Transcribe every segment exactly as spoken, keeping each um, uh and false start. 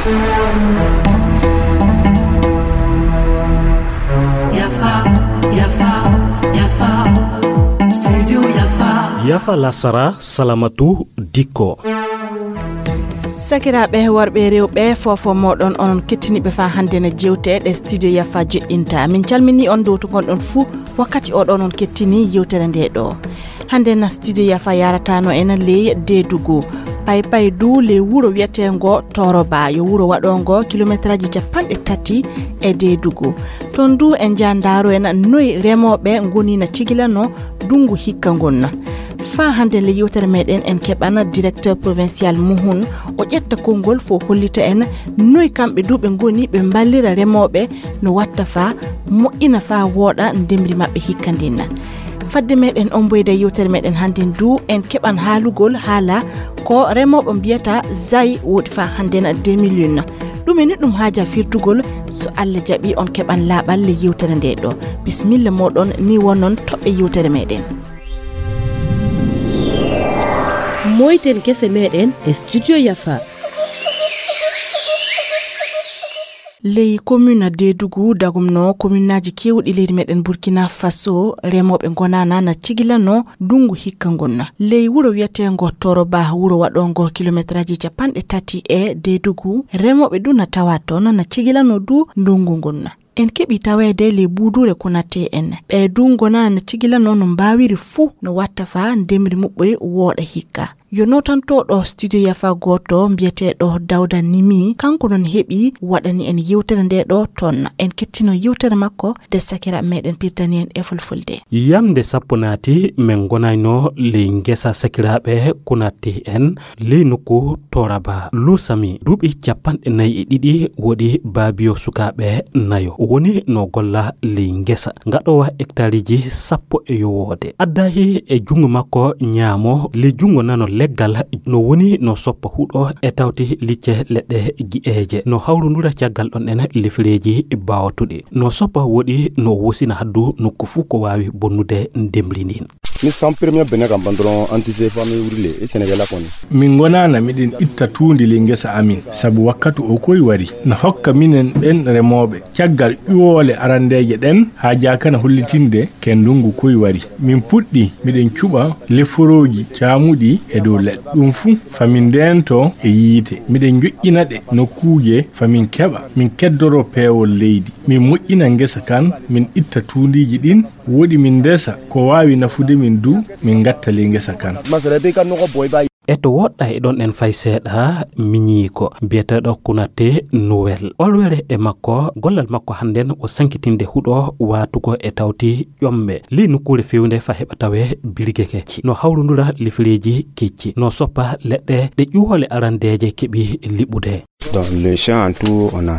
Yafa, yafa, yafa. Studio Yafa. Yafa lasara, salamatu dikko. Sakiraaɓe worɓe e rewɓe, foofo mooɗon, onon kettiniiɓe faa hannde na jeewte ɗe Studio Yafa joɗɗinta. Min calminii on dow to ngonɗon fuu, wakkati oɗo onon kettini yeewtere nde ɗo. Hannde na Studio Yafa yaarataano en ley Deedugu. Paypay du ley wuro wiyeteengo Toroba, yo wuro waɗoongo kilometeraaji capanɗe tati e Deedugu. Toon du en njaha ndaaro en noy remooɓe ngoni na cigilano ndungu hikka ngon. Faa hannde le yeewtere meɗen en keɓana directeur provincial Muhun. O ƴetta konngol fo hollita en noy kamɓe du ɓe ngoni ɓe mballira remooɓe no watta faa moƴƴina faa wooɗa ndemri maɓɓe hikka ndin. Fadde meɗen omboyde yeewtere meɗen hannde du en keɓan haalugol haala ko remooɓe mbiyata zay woodi faa hannde na deux mille un. Ɗum e ni ɗum haaja firtugol so Allah jaɓi on keɓan laaɓal le yeewtere nde ɗo. Bismilla mooɗon ni wonon toɓɓe yeewtere meɗen. Moyten kese meɗen e Studio Yafa. Ley commune Deedugu dagumno communaaji keewɗi leydi meɗen Burkina Faso, remooɓe ngonaana na cigilano ndungu hikka ngon. Ley wuro wiyeteengo Toroba, wuro waɗoongo kilometeraaji capanɗe tati e Deedugu, remooɓe du na tawa toon na cigilano du ndungu ngon. En keɓi taweede ley buuduure Konaté en. Ɓe du ngonaa na cigilano no mbaawiri fuu no watta faa ndemri muɓɓoy wooɗa hikka. Yo nootantooɗo Studio Yafa gooto mbiyeteeɗo Dawda Nimi, kanko noon heɓi waɗani en yewtere nde ɗo toon. En kettino yewtere makko de sakira meɗen pirtani en e fulfulde. Yamnde sappo naati, min ngonayno ley ngesa sakiraaɓe Konaté en, ley nokku Toraba. Lusami duuɓi capanɗe nayi e ɗiɗi, woɗi baabiyo sukaaɓe nayo. O woni no golla ley ngesa, ngaɗoowa hektaariji sappo e yowoode. Addahi e junngo makko ñaamo, ley junngo nano leggal, no woni no soppa huɗo e tawti licce leɗɗe gi'eeje. No hawrundura caggal ɗon en lifireeji baawtuɗi. No soppa woɗi no wosina haddu nokku fuu ko waawi bonnude ndemri ndin. Ni san premier bene kam ban dɔrɔn an tɛ se fo an bɛ wuli le e sɛnɛkɛla kɔni. Min ngonaana miɗen itta tuundi ley ngesa amin, sabu wakkatu o koy wari. Na hokka minen ɓen remooɓe caggal ƴuwoole arandeeje ɗen haa jaakana hollitinde ke ndungu koy wari. Min puɗɗi miɗen cuɓa leforooji caamuɗi e dow leɗɗe. Ɗum fuu fa min ndeento e yiite. Miɗen njoƴƴina ɗe nokkuuje fa min keɓa, min keddoro peewol leydi. Min moƴƴina ngesa kan, min itta tuundiiji ɗin, woɗi min ndesa ko waawi nafude min du, min ngatta ley ngesa kan. E to woɗɗa e ɗon en fay seeɗa, miñiiko biyeteeɗo Kunate Noel. Olwere e makko, gollal makko hannden o sankitinde huɗo waatugo e tawti ƴomɓe. Ley nokkuure fewnde fa heɓa tawe birge kecci. No hawrundura lifireeji kecci. No soppa leɗɗe ɗe ƴuwoole arandeeje keɓi liɓude. Dans le champ en tout, on a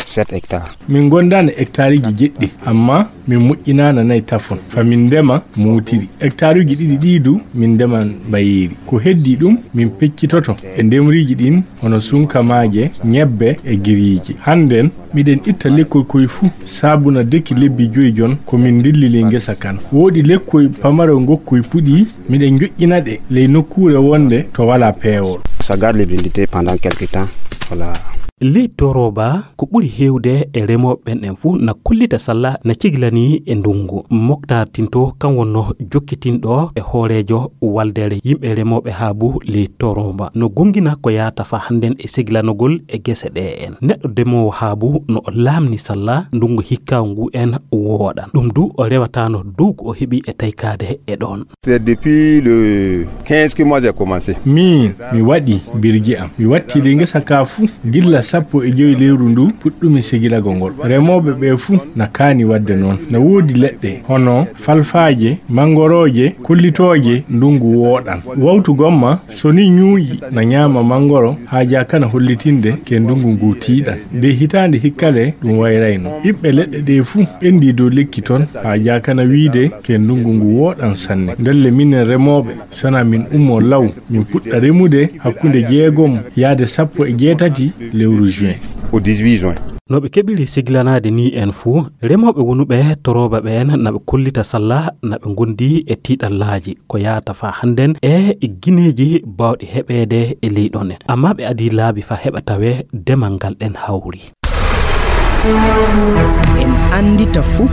sept hectares. Min gondaani hectareji jeɗɗi, amma min moƴƴinaana nayi tafon. Fa min ndema muutiri. Hectareji ɗiɗi ɗii du, min ndeman mbayeeri. Ko heddii ɗum, min peccitoto e ndemriji ɗin, hono sunkamaaje, ñebbe e giriiji. Hannden, miɗen itta lekkoy koy fuu, saabuna deki lebbi joy jon, ko min ndilli ley ngesa kan. Woodi lekkoy pamaro ngokkoy puɗii, miɗen njoƴƴina ɗe ley nokkuure wonde to walaa peewol. Ça garde l'humidité pendant quelque temps. Voilà. Ley Toroba, ko ɓuri heewde e remooɓe ɓen en fuu na kollita salla na cigilanii e ndungu. Moktar Tinto, kan wonno jokkitinɗo e hooreejo waldere yimɓe remooɓe haabu ley Toroba. No gongina ko yaata fa hannden e segilanogol e gese ɗe en. Neɗɗo demoowo haabu no o laamni salla ndungu hikka ngu en wooɗan. Ɗum du o rewataano dow ko o heɓi e taykaade e ɗon. C'est depuis le quinze que moi j'ai commencé. Miin, mi waɗi birji am. Mi watti ley ngesa ka fuu gilla sappo e joy lewru ndu puɗɗumi segilago ngol. Remooɓe ɓe fuu na kaani waɗde noon. Na woodi leɗɗe hono falfaaje, manngorooje, kollitooje ndungu wooɗan. Wawtu gomma, so ni ñuuƴi, na ñaama manngoro, haa jaakana hollitinde ke ndungu ngu tiiɗan. De hitaande hikkale ɗum wayrayno. Ɓiɓɓe leɗɗe ɗe fuu ɓendi dow lekki ton, haa jaakana wiide ke ndungu ngu wooɗan sanne. Ndelle minen remooɓe, sana min ummo law, min puɗɗa remude hakkunde jeegom yaade sappo e jeetati lewru juin. Au dix-huit juin. No ɓe keɓiri siglanaade ni en fuu, remooɓe wonuɓe torooba ɓeen na ɓe kollita salla na ɓe ngondi e tiiɗallaaji ko yahata faa hannden e gineeji baawɗi heɓeede e ley ɗon en. Ammaa ɓe adii laabi faa heɓa tawee demal ngal ɗen hawri. En anndita fuu.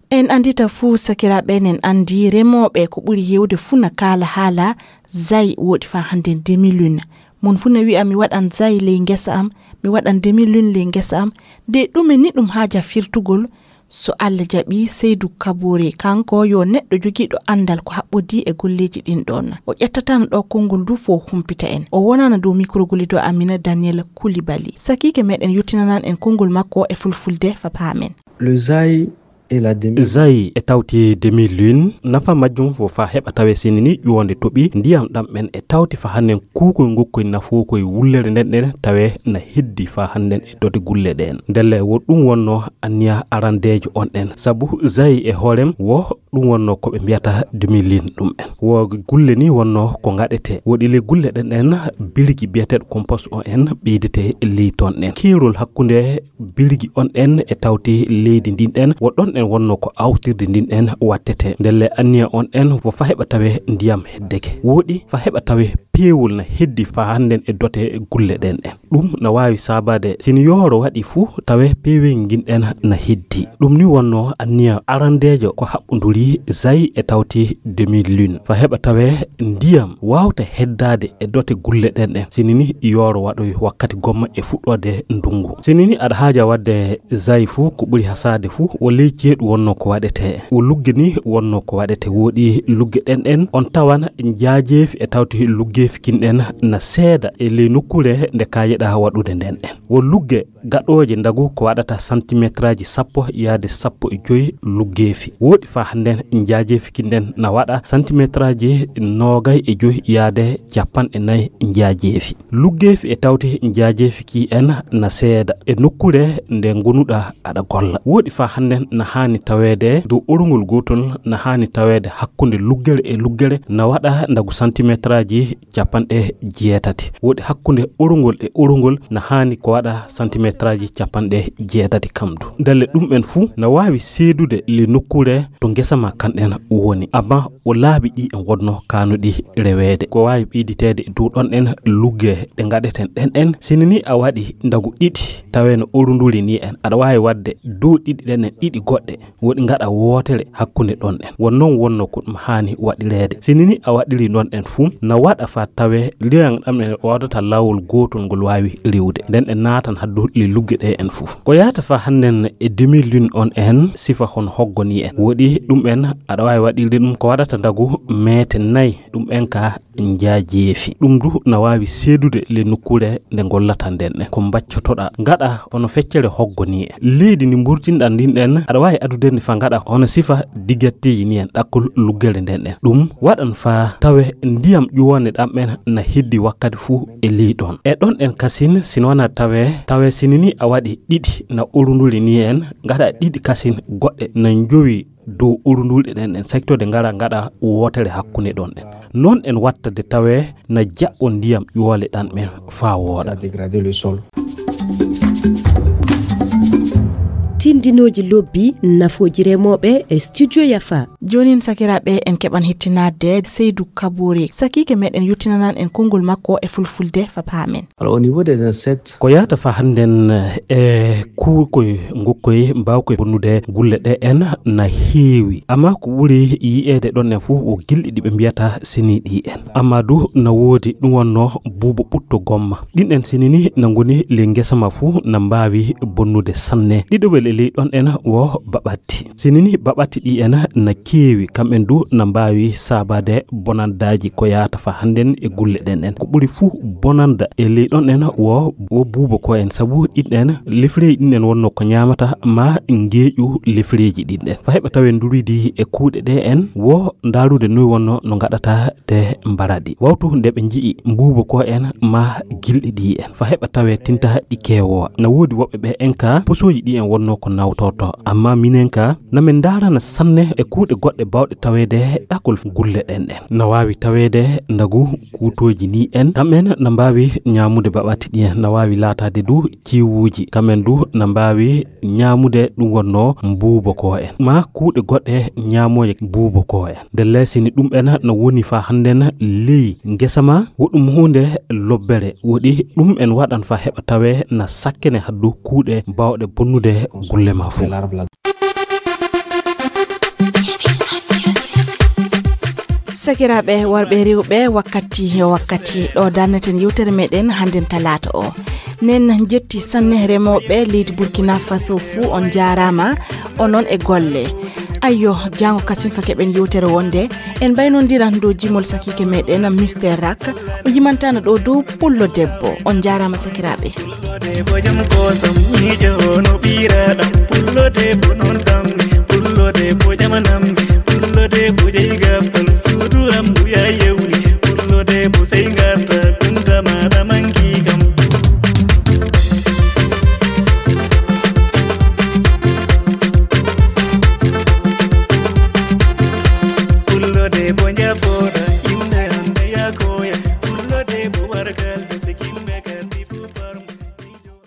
En anndita fuu, sakiraaɓe, en anndi remooɓe ko ɓuri heewde fuu na kaala haala zay woɗi faa hannden demi-lune. Mon fuu na wi'a mi waɗan zay ley ngesa am, mi waɗan demi-lune ley ngesa am. De ɗume ni ɗum haaja firtugol? So Alla jaɓii, Seydu Kaboore, kanko yo neɗɗo jogiiɗo anndal ko haɓɓodii e golleeji ɗin ɗon. O ƴettatan ɗo konngol du fo humpita en. O wonana dow mikrogolido Amina Daniel Koulibaly. Sakiike meɗen yottinanan en konngol makko e fulfulde fa paamen. Le zay et la demi. Zay e tawti demi-lune, nafa majjum ko faa heɓa tawee sini ni ƴuwonde toɓi ndiyam ɗam ɓen e tawti faa hannden kuukoy ngukkoy nafookoy wullere nden ɗen tawee na heddi faa hannden e dote gulle ɗen. Ndelle wo ɗum wonno anniya arandeejo on ɗen. Sabu zay e hoorem wo ɗum wonno ko ɓe mbiyata demi-lune ɗum en. Wo gulle ni wonno ko ngaɗete. Woɗi le gulle ɗen ɗen birgi biyeteeɗo compost o en ɓeydete ley ton ɗen. Keerol hakkunde birgi on ɗen e tawti leydi ndin ɗen, wo ɗon ɗen wonno ko awtirde ndin ɗen wattete. Ndelle anniya on ɗen wo fa heɓa tawe ndiyam heddeke. Woɗi fa heɓa tawe peewol na heddi fa hannden e dote gulle ɗen ɗen. Ɗum na waawi saabaade sini yooro waɗi fuu tawe peewel ngin ɗen na heddi. Ɗum ni wonno anniya arandeejo ko haɓɓunduri zay e tawti demi-lune. Fa heɓa tawe ndiyam waawta heddaade e dote gulle ɗen ɗen. Sini ni yooro waɗoy wakkati gomma e fuɗɗoode ndungu. Sini ni aɗa haaja waɗde zay fuu ko ɓuri hasaade fuu wo ley ceeɗu wonno ko waɗete. Wo lugge ni wonno ko waɗete. Woɗi lugge ɗen ɗen on tawan njaajeefi e tawti luggeefi kin ɗen na seeda e ley nokkuure nde kaajeɗa waɗude nden ɗen. Wo lugge gaɗooje ndagu ko waɗata santimetraaji sappo yaade sappo e joy luggeefi. Woɗi fa hannden njaajeefi kin ɗen na waɗa santimetraaji noogay e joy yaade capanɗe nay njaajeefi. Luggeefi e tawti njaajeefi ki en na seeda e nokkuure nde ngonuɗa aɗa golla. Woɗi fa hannden na haani taweede dow orungol gootol na haani taweede hakkunde luggere e luggere na waɗa ndagu santimetraaji capanɗe jeetati. Woɗi hakkunde orungol e orungol na haani ko waɗa santimetraaji capanɗe jeetati kam du. Ndelle ɗum en fuu na waawi seedude le nokkuure to ngesa ma kan ɗen woni. Amma wo laabi ɗi en wonno kaanuɗi reweede. Ko waawi ɓeyditeede e dow ɗon ɗen lugge ɗe ngaɗeten ɗen ɗen. Sini ni a waɗi ndagu ɗiɗi tawe no orunduri ni en. Aɗa waawi waɗde dow ɗiɗi ɗen ɗen ɗiɗi goɗɗe. Woɗi ngaɗa wootere hakkunde ɗon ɗen. Won noon wonno ko ɗum haani waɗireede. Sini ni a waɗiri ɗon ɗen fuu, na waɗa fa tawe liyan ɗam en waɗata laawol gootol ngol waawi riwde. Nden ɗe naatan haddu li lugge ɗe en fuu. Ko yahata fa hannden e demi-lune on en sifa hon hoggo ni en. Woɗi ɗum en aɗa waawi waɗirde ɗum ko waɗata ndagu meete nay ɗum en ka njaajeefi. Ɗum du na waawi seedude le nokkuure nde ngollata nden ɗen. Ko mbaccotoɗa ngaɗa hono feccere hoggo ni en. Leydi ndi mburtinɗa ndin ɗen aɗa waawi adude ndi fa ngaɗa hono sifa digatteeji ni en ɗakkol luggere nden ɗen. Ɗum waɗan fa tawe ndiyam ƴuwande ɗam en na heddi wakkati fuu e ley ɗon. E ɗon ɗen kasin sino wana tawe, tawe sini ni a waɗi ɗiɗi na orunduri ni en ngaɗa ɗiɗi kasin goɗɗe na njowi dow urunduuɗe ɗen ɗen saktorde ngara ngaɗa wootere hakkunde ɗon ɗen. Noon en watta de tawee na jaɓɓo ndiyam ƴoole ɗan ɓen faa wooɗa. Tindinooji lobbi nafooji remooɓe e studio Yafa. Joonin sakiraaɓe en keɓan hittinaade Seydu Kaboore. Sakiike meɗen yottinanan en konngol makko e fulfulde fa paamen. Alors au niveau des insectes. Ko yahata fa hannden e kuukoy ngukkoy mbaawkoy bonnude gulle ɗe en na heewi. Amma ko ɓuri yi'eede ɗon en fof ko gilɗi ɗi ɓe mbiyata sini ɗi en. Amma du na woodi ɗum wonno buubo ɓutto gomma. Ɗin en sini ni na ngoni ley ngesa ma fof na mbaawi bonnude sanne. Ɗiɗoɓel e ley ɗon en wo baɓat. Sini ni baɓatti ɗi en na keewi, kamɓen du na mbaawi saabaade bonandaaji ko yahata fa hannden e gulle ɗen en. Ko ɓuri fuu bonanda e ley ɗon en wo, wo buubo ko en, sabu ɗin en lefreeji ɗin en wonno ko ñaamata ma ngeeƴu lefreeji ɗin ɗen. Fa heɓa tawen nduridi e kuuɗe ɗe en wo ndaarude noy wonno no ngaɗata de mbaraɗi. Wawtu nde ɓe nji'i mbuubo ko en ma gilɗi ɗi en. Fa heɓa tawe tinta ɗi keewowa. Na woodi woɓɓe ɓe en ka posooji ɗi en wonno ko awtorto. Amma minen ka, na min ndaarana sanne e kuuɗe goɗɗe baawɗe taweede ɗakol gulle ɗen ɗen. Na waawi taweede ndagu kuutooji ni en, kam en na mbaawi ñaamude baɓati ɗi en, na waawi laataade du ciwuuji, kam en du na mbaawi ñaamude ɗum wonnoo mbuubo ko en. Ma kuuɗe goɗɗe ñaamooje mbuubo ko en. Ndelle sini ɗum en na woni fa hannden ley ngesa ma, wo ɗum huunde lobbere woɗi, ɗum en waɗan fa heɓa tawe na sakkene haddu kuuɗe baawɗe bonnude gulle ma fuu. Sakiraaɓe worɓe e rewɓe, wakkati yo wakkati ɗo darneten yewtere meɗen hannden talaata o. Nen jetti sanne remooɓe leydi Burkina Faso fuu, on jaaraama, onon e golle. Ayyo, jaango kasin fa keɓen yewtere wonde, en mbaynondiran dow jimol sakiike meɗen Mister Rak, o yimantana ɗo dow pullo debbo. On jaaraama sakiraaɓe. Pullo debbo jam kosam, miijo no ɓiiraɗam. Pullo debbo non tammi, pullo debbo jamanammi, pullo debbo jeyi gabbal, suudu am buya yewni. Pullo debbo sey ngarta, kunta maɗa manki kam. Pullo debbo njafoɗa, yimɓe hande yakoya. Pullo debbo wargal, sikimɓe kadi.